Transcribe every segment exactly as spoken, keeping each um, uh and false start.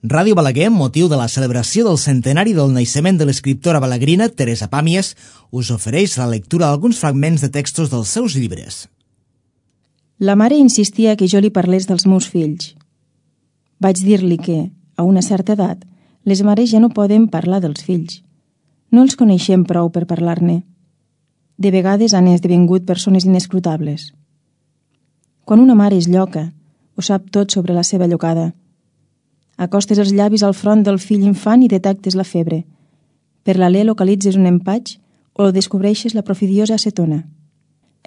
Ràdio Balaguer, amb motiu de la celebració del centenari del naixement de l'escriptora balaguerina Teresa Pàmies, us ofereix la lectura d'alguns fragments de textos dels seus llibres. La mare insistia que jo li parlés dels meus fills. Vaig dir-li que, a una certa edat, les mares ja no poden parlar dels fills. No els coneixem prou per parlar-ne. De vegades han esdevingut persones inescrutables. Quan una mare és lloca, ho sap tot sobre la seva llocada. Acostes els llavis al front del fill infant i detectes la febre. Per l'alè localitzes un empatx o descobreixes la profidiosa acetona.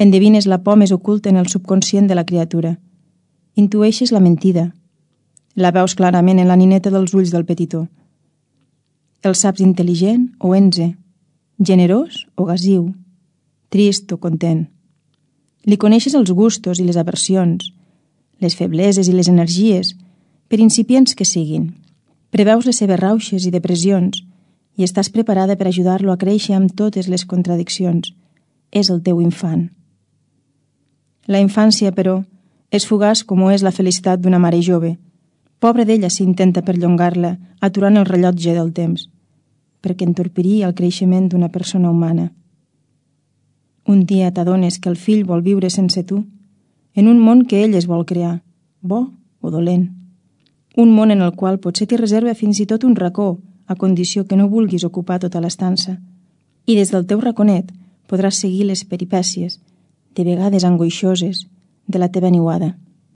Endevines la por més oculta en el subconscient de la criatura. Intueixes la mentida. La veus clarament en la nineta dels ulls del petitó. El saps intel·ligent o enze, generós o gasiu, trist o content. Li coneixes els gustos i les aversions, les febleses i les energies, per incipients que siguin. Preveus les seves rauxes i depressions i estàs preparada per ajudar-lo a créixer amb totes les contradiccions. És el teu infant. La infància, però, és fugaç com ho és la felicitat d'una mare jove. Pobre d'ella si intenta perllongar-la, aturant el rellotge del temps, perquè entorpiria el creixement d'una persona humana. Un dia t'adones que el fill vol viure sense tu, en un món que ell es vol crear, bo o dolent. Un món en el qual potser t'hi reserva fins i tot un racó, a condició que no vulguis ocupar tota l'estança. I des del teu raconet podràs seguir les peripècies, de vegades angoixoses, de la teva niuada.